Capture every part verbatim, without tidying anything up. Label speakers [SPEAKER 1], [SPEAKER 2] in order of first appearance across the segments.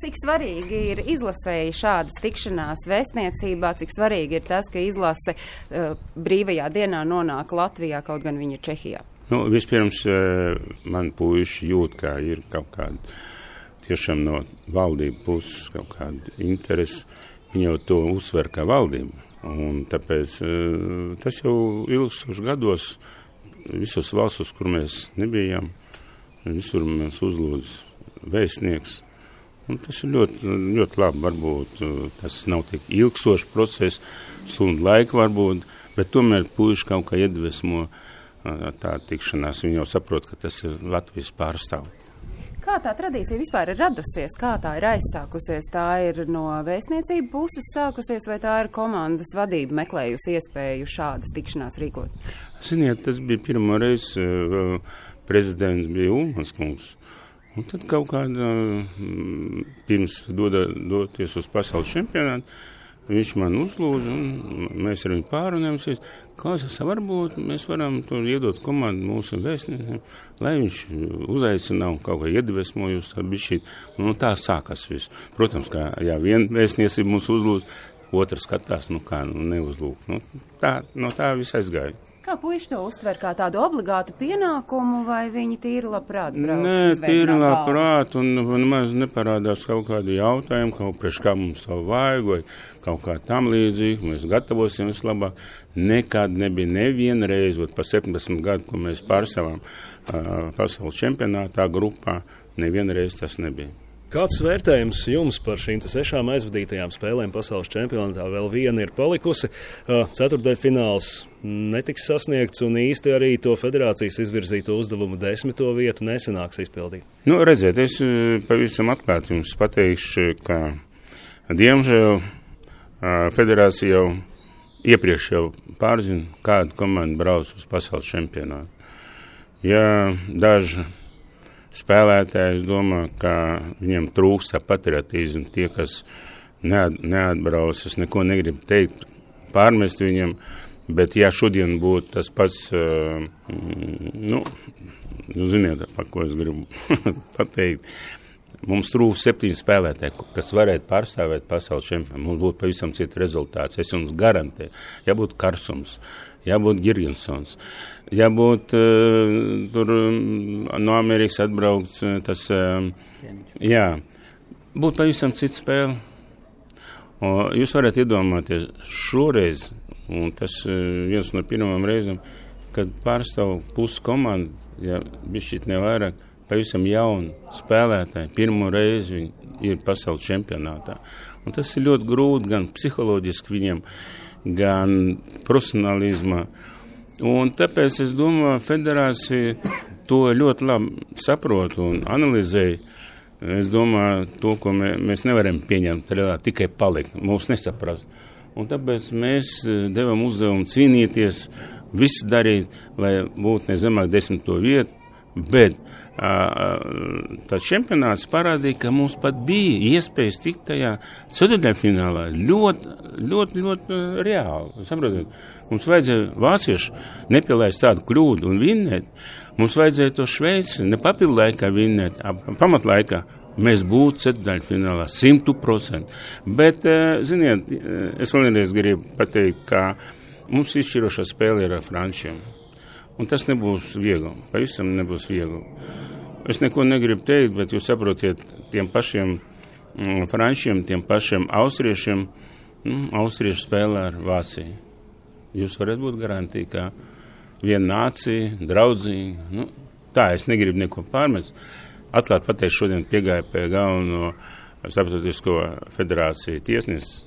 [SPEAKER 1] Cik svarīgi ir izlasēji šādas tikšanās vēstniecībā, cik svarīgi ir tas, ka izlase uh, brīvajā dienā nonāk Latvijā, kaut gan viņi ir Čehijā?
[SPEAKER 2] Nu, vispirms uh, man puiši jūt, kā ir kaut kāda tiešām no valdību puses kaut kāda interese. Viņi jau to uzsver kā valdību. Un tāpēc uh, tas jau ilgstoši gados visos valstos, kur mēs nebijām, visur mēs uzlūdz vēstnieks. Un tas ir ļoti, ļoti labi, varbūt tas nav tik ilgstošs process, stundu laika varbūt, bet tomēr puiši kaut kā iedvesmo tā tikšanās. Viņi jau saprot, ka tas ir Latvijas pārstāv.
[SPEAKER 1] Kā tā tradīcija vispār ir radusies? Kā tā ir aizsākusies? Tā ir no vēstniecību puses sākusies, vai tā ir komandas vadība meklējusi iespēju šādas tikšanās rīkot?
[SPEAKER 2] Ziniet, tas bija pirmo reizi, prezidents bija Ulmans kungs. Un tad kaut kādā, pirms doda, doties uz pasaules čempionātu, viņš man uzlūdza, un mēs ar viņu pārunājamies. Klausās, varbūt mēs varam tur iedot komandu mūsu vēstniekiem, lai viņš uzaicina un kaut kā iedvesmojus ar bišķīt. Un tā sākas viss. Protams, kā jā, viena vēstniecība mūs uzlūdz, otra skatās, nu kā, nu neuzlūk. Nu, tā, no tā viss aizgāja.
[SPEAKER 1] Kā puiši to uztver, kā tādu obligātu pienākumu, vai viņi tīri labprāt brauc?
[SPEAKER 2] Nē, tīri labprāt, un nemaz neparādās kaut kādi jautājumi, kaut priekš kā mums savu vajag, vai kaut kā tam līdzīgi, mēs gatavosim vislabāk. Nekad nebija neviena reize, vat pa septiņdesmit gadu, ko mēs pārstāvām uh, pasaules čempionātā grupā, neviena reize tas nebija.
[SPEAKER 3] Kāds vērtējums jums par šīm sešām aizvadītajām spēlēm pasaules čempionātā? Vēl viena ir palikusi. Ceturtdaļfināls netiks sasniegts un īsti arī to federācijas izvirzīto uzdevumu desmito vietu nesanāks izpildīt.
[SPEAKER 2] Nu, redziet, es pavisam atklāti jums pateikšu, ka diemžēl federācija jau iepriekš jau pārzina, kādu komandu brauc uz pasaules čempionātu. Ja daži spēlētāji, es domāju, ka viņiem trūkst patriotismu, tie, kas neat, neatbrauc, es neko negribu teikt, pārmest viņiem, bet ja šodien būtu tas pats, uh, nu, nu, ziniet, par ko es gribu pateikt, mums trūkst septiņi spēlētāji, kas varētu pārstāvēt pasaules čempionu, mums būtu pavisam cits rezultāts, es jums garantēju, ja būtu Karsums, ja būtu Girgensons, ja būtu uh, tur um, no Amerikas atbraukts uh, tas, uh, jā, būtu pavisam cits spēle. O, jūs varat iedomāties šoreiz, un tas uh, viens no pirmām reizēm, kad pārstāv pusi komandu, ja bišķīt nevairāk, pavisam jauni spēlētāji, pirmo reizi viņi ir pasaules čempionātā. Un tas ir ļoti grūti gan psiholoģiski viņiem, gan profesionālismā. Un tāpēc es domāju, federācija to ļoti labi saprot un analizēja. Es domāju, to, ko mē, mēs nevaram pieņemt, tikai palikt, mūs nesaprast. Un tāpēc mēs devam uzdevumu cīnīties, visu darīt, lai būtu ne zemāk desmito vietu, bet tāds čempionāts parādīja, ka mums pat bija iespējas tikt tajā ceturtdaļfinālā ļoti, ļoti, ļoti reāli. Saprotiet, mums vajadzēja vāciešu nepielaist tādu kļūdu un vinnēt. Mums vajadzēja to Šveici ne papildu laikā vinnēt, pamatlaikā. Mēs būtu ceturtdaļfinālā simtu procentu. Bet, ziniet, es vēlreiz gribu pateikt, ka mums izšķirošā spēle ir ar frančiem. Un tas nebūs viegli, pavisam nebūs viegli. Es neko negribu teikt, bet jūs saprotiet, tiem pašiem mm, frančiem, tiem pašiem austriešiem, mm, austrieši spēlē ar Vāciju. Jūs varat būt garantīgi, ka viena nācija, draudzīgi, nu, tā, es negribu neko pārmest. Atklāt pateikt, šodien piegāja pie galveno starptautisko federāciju tiesnesi,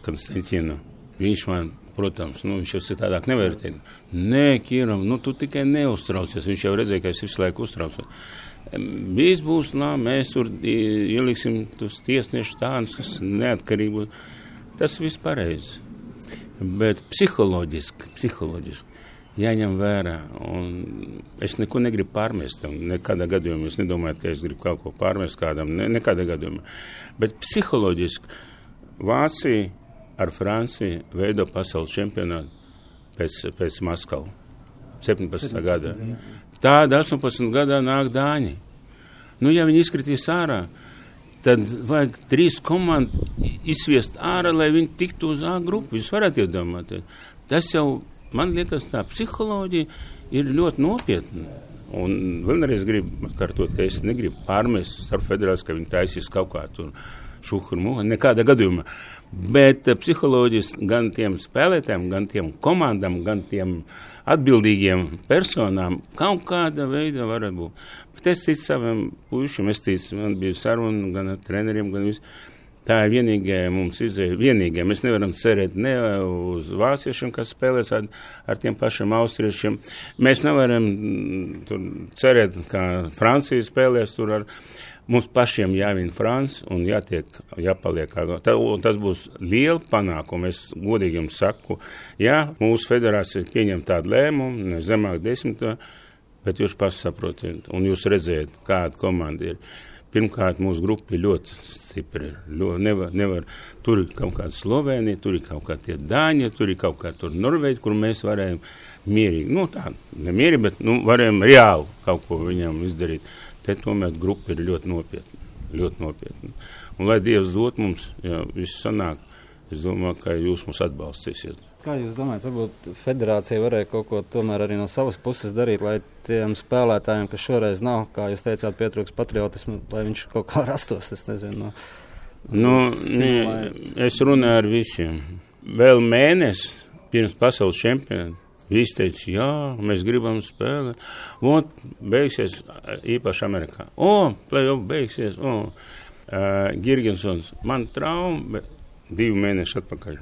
[SPEAKER 2] Konstantīnu. Viņš man, protams, nu, viņš jau citādāk nevar teikt. Nē, Kīram, nu, tu tikai neuztraucies. Viņš jau redzēja, ka es visu laiku uztraucos. Viss būs, nā, mēs tur ieliksim tos tiesniešu tādus, kas neatkarību. Tas viss pareizi. Bet psiholoģiski, psiholoģiski jāņem vērā. Un es neko negribu pārmest. Nekādā gadījumā es nedomāju, ka es gribu kaut ko pārmest kādam. Ne, nekādā gadījumā. Bet psiholoģiski Vācija ar Franciju veido pasaules čempionātu pēc, pēc Maskavu. septiņpadsmitā gadā. Tāda astoņpadsmit gadā nāk Dāņi. Nu, ja viņi izkritīs ārā, tad vajag trīs komandu izsviest ārā, lai viņi tiktu uz A grupu. Jūs varat iedomāties. Tas jau, man liekas, tā psiholoģija ir ļoti nopietna. Un vēlreiz gribu atkārtot, ka es negribu pārmest starp federāciju, ka viņi taisīs kaut kā tur šuhurmu, nekādā gadījumā. Bet psiholoģijas gan tiem spēlētājiem, gan tiem komandām, gan tiem atbildīgiem personām kaut kāda veida var būt. Bet es ticu saviem puišiem, es ticu, man bija saruna gan ar treneriem, gan visu. Tā ir vienīgā mums izēja, vienīgā. Mēs nevaram cerēt ne uz vāciešiem, kas spēlēs ar, ar tiem pašiem austriešiem. Mēs nevaram tur cerēt, kā Francija spēlēs tur ar. Mums pašiem jāvien Franci un jātiek, jāpaliek. Tā, tas būs liela panākuma. Es godīgi jums saku, jā, mūsu federācija pieņem tādu lēmumu, ne zemāk desmitā, bet jūs pats saprotiet un jūs redzējat, kāda komanda ir. Pirmkārt, mūsu grupa ir ļoti stipra. Ļoti, nevar, nevar, tur ir kaut kāda Slovēnija, tur ir kaut kā tie Dāņi, tur ir kaut kā tur Norvēģi, kur mēs varējām mierīgi, nu tā, ne mierīgi, bet nu, varējām reāli kaut ko viņam izdarīt. Te tomēr grupa ir ļoti nopietna, ļoti nopietna. Un lai Dievs dot mums, ja viss sanāk, es domāju, ka jūs mums atbalstīsiet.
[SPEAKER 4] Kā jūs domājat, varbūt federācija varēja kaut ko tomēr arī no savas puses darīt, lai tiem spēlētājiem, kas šoreiz nav, kā jūs teicāt, pietrūks patriotismu, lai viņš kaut kā rastos, es nezinu. No,
[SPEAKER 2] nu, ne, es runāju ar visiem. Vēl mēnesi pirms pasaules čempionāta visi teica, jā, mēs gribam spēlēt. Un beigsies īpaši Amerikā. O, play-off beigsies. O, uh, Girgensons, man trauma, divi mēneši atpakaļ.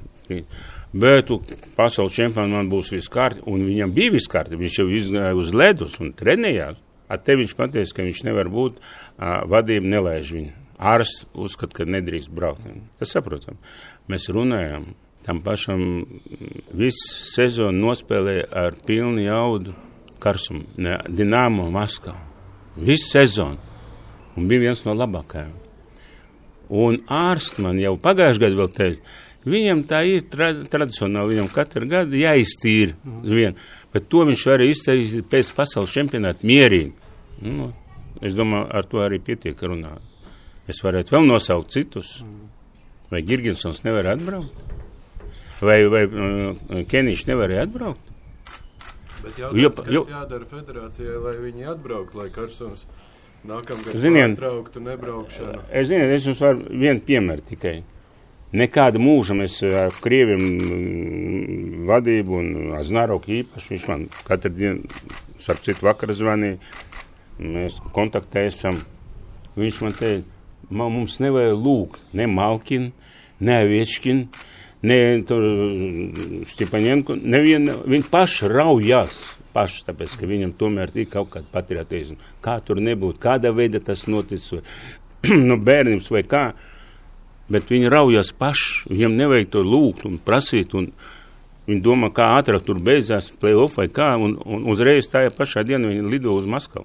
[SPEAKER 2] Bet pasaules čempionātā man būs viss kārti, un viņam bija viss kārti. Viņš jau izgāja uz ledus un trenējās. Ar te viņš pateica, ka viņš nevar būt, uh, vadība nelaiž viņu. Ārsts uzskata, ka nedrīkst braukt. Tas saprotam. Mēs runājam. Tam pašam visu sezonu nospēlēja ar pilnu jaudu karsumu. Ne, Dinamo Maskavu. Visu sezonu. Un bija viens no labākajiem. Un ārsts man jau pagājuši gadu vēl teica, viņam tā ir tra tradicionāli, viņam katru gadu jāiztīra vien. Bet to viņš varēja izdarīt pēc pasaules čempionāta mierīgi. Nu, es domāju, ar to arī pietiek runāt. Es varētu vēl nosaukt citus. Vai Girgensons nevar atbraukt? Vai, vai uh, Kenīši nevarēja atbraukt?
[SPEAKER 5] Bet jautājums, kas jo, jādara federācijai, lai viņi atbraukt, lai Karsums nākamgad pārtrauktu nebraukšanu?
[SPEAKER 2] Es zinu, es jums varu vienu piemēru tikai. Nekāda mūža mēs ar Krieviem vadību un Aznaroku īpaši, viņš man katru dienu, starp citu vakar zvanīja, mēs kontaktēsim. Viņš man teica, mums nevajag lūgt ne Malkinu, ne Aviečkinu, ne tur Stipaņenko, neviena, viņi paši raujās, paši, tāpēc, ka viņam tomēr ir kaut kāda patriotisma. Kā tur nebūtu, kādā veidā tas noticis, vai no bērnības vai kā, bet viņi raujās paši, viņam nevajag to lūgt un prasīt, un viņi domā, kā ātrāk tur beidzās play-off vai kā, un, un uzreiz tajā pašā dienā viņi lido uz Maskavu.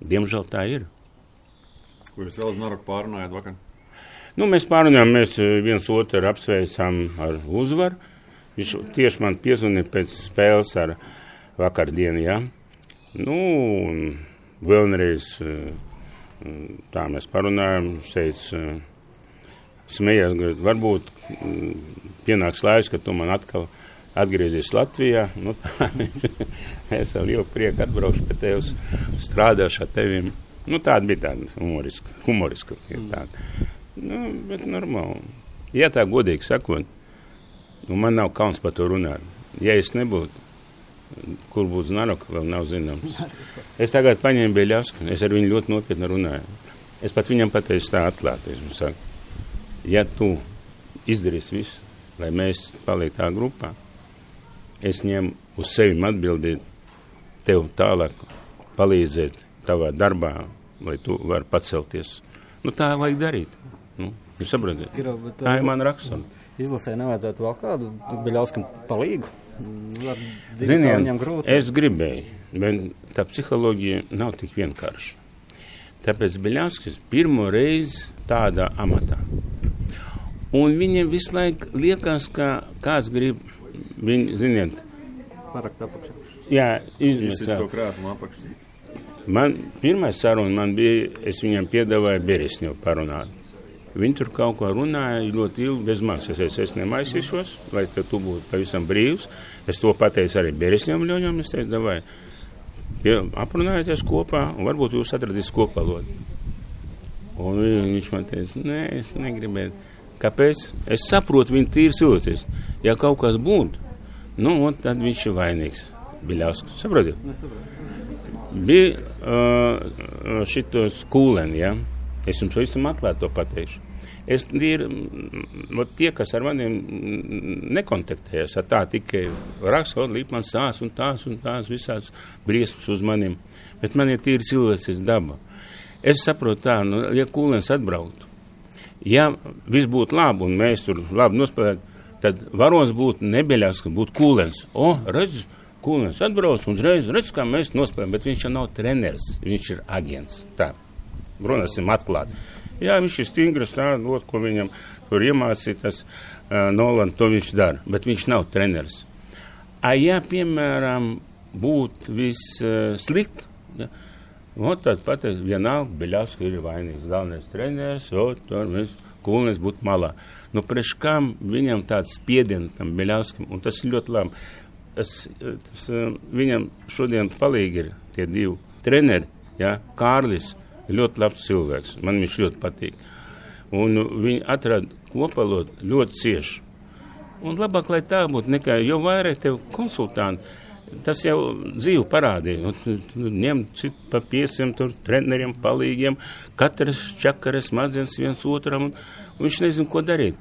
[SPEAKER 2] Diemžēl tā ir.
[SPEAKER 6] Ko jūs vēl uz Naroku pārunājāt vakar?
[SPEAKER 2] Nu, mēs pārunājām, mēs viens otru apsveicām ar uzvaru. Viņš tieši man piezvanīja pēc spēles ar vakardienu, jā. Nu, un vēlreiz tā mēs pārunājām, šeit smējās, varbūt pienāks laiks, ka tu man atkal atgriezies Latvijā. Nu, tā, es ar lielu prieku atbraukšu pie tevis, strādāšu ar tevim. Nu, tāda bija tāda humoriska, humoriska ir tāda. Nu, bet normāli. Ja tā godīgi sakot, nu, man nav kauns par to runāt. Ja es nebūtu, kur būtu Znaroka, vēl nav zināms. Es tagad paņēmu Beļavsku, es ar viņu ļoti nopietni runāju. Es pat viņam pateicu tā atklāti. Es viņam saku, ja tu izdarīsi visu, lai mēs paliek tā grupā, es ņemu uz sevi atbildīt tev tālāk, palīdzēt tavā darbā, lai tu vari pacelties. Nu, tā vajag darīt. Nu, jūs saprotat? Tā ir mana rakstura.
[SPEAKER 4] Izlasē nevajadzētu vēl kādu Beļavskam palīgu?
[SPEAKER 2] Ziniet, es gribēju, bet tā psiholoģija nav tik vienkārša. Tāpēc Beļavskis pirmo reizi tādā amatā. Un viņam visu laiku liekas, ka kāds grib, viņi, ziniet,
[SPEAKER 4] parakt apakšā.
[SPEAKER 2] Jā,
[SPEAKER 6] izmest to krāsmu apakšā.
[SPEAKER 2] Man pirmais saruna man bija, es viņam piedāvāju Beresņevu parunāt. Viņi tur kaut ko runāja ļoti ilgi bez manis. Es, es, es nemaisīšos, lai tu būtu pavisam brīvs. Es to pateicu arī Beresņevam ļoņam. Es teicu, davai, aprunājieties kopā un varbūt jūs atradīs kopvalodu. Un viņš man teica, nē, es negribētu. Kāpēc? Es saprotu viņu tīri cilvēcis. Ja kaut kas būtu, nu, un tad viņš ir vainīgs. Biļausks. Saprotiet? Bija uh, šitos kūleni, ja? Es jums visam atklāt to pateikšu. Es ir, tie, kas ar maniem nekontaktējas, ar tā tikai raksta, līp man sās un tās un tās visās briesmas uz maniem, bet man ir tīri cilvēcis daba. Es saprotu tā, nu, ja kūlens atbrauktu, ja viss būtu labi un mēs tur labi nospēlētu, tad varos būtu nebeļās, ka būtu kūlens. O, redz, kūlens atbrauc un uzreiz, redz, kā mēs nospēlējam, bet viņš jau nav treneris, viņš ir agents. Tā, runāsim atklāt. Jā, viņš ir stingrs, tā, lot, ko viņam tur iemācīja, tas uh, Nolan, to viņš dara, bet viņš nav treneris. A, ja, piemēram, būtu viss uh, slikt, ja, un tad pateic, vienalga, Beļavska ir vainīgs, galvenais treneris, o, tur mēs, Kūlnes būtu malā. Nu, priekš kam viņam tāds spiediens tam Beļavskam, un tas ir ļoti labi. Tas, tas, uh, viņam šodien palīgi ir tie divi treneri, ja, Kārlis, ļoti labs cilvēks. Man viņš ļoti patīk. Un viņi atrada kopvalodu ļoti cieši. Un labāk, lai tā būtu, nekā, jo vairāk tev konsultanti, tas jau dzīvi parādīja. Ņem citu pa piesiem, tur treneriem, palīgiem, katrs čakaras mazens viens otram, un, un viņš nezin, ko darīt.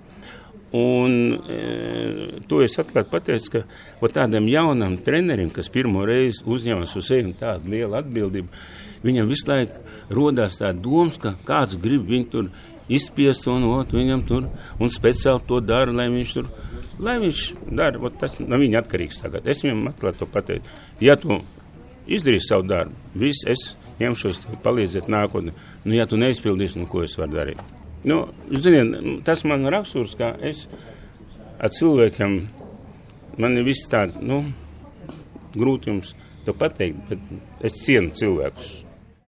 [SPEAKER 2] Un e, to es atklāt pateicu, ka o tādam jaunam trenerim, kas pirmo reizi uzņemas uz sevi tādu lielu atbildību, viņam visu laiku rodās tā domas, ka kāds grib viņu tur izspiest un ot, viņam tur, un speciāli to dara, lai viņš tur, lai viņš dara, ot, tas no viņa atkarīgs tagad. Es viņam atklāt to pateicu. Ja tu izdarīsi savu darbu, viss, es ņemšos tev palīdzēt nākotnē. Nu, ja tu neizpildīsi, nu, ko es varu darīt? Nu, ziniet, tas man raksturs, kā es ar cilvēkiem, man ir viss tāds, nu, grūti jums to pateikt, bet es cienu cilvēkus.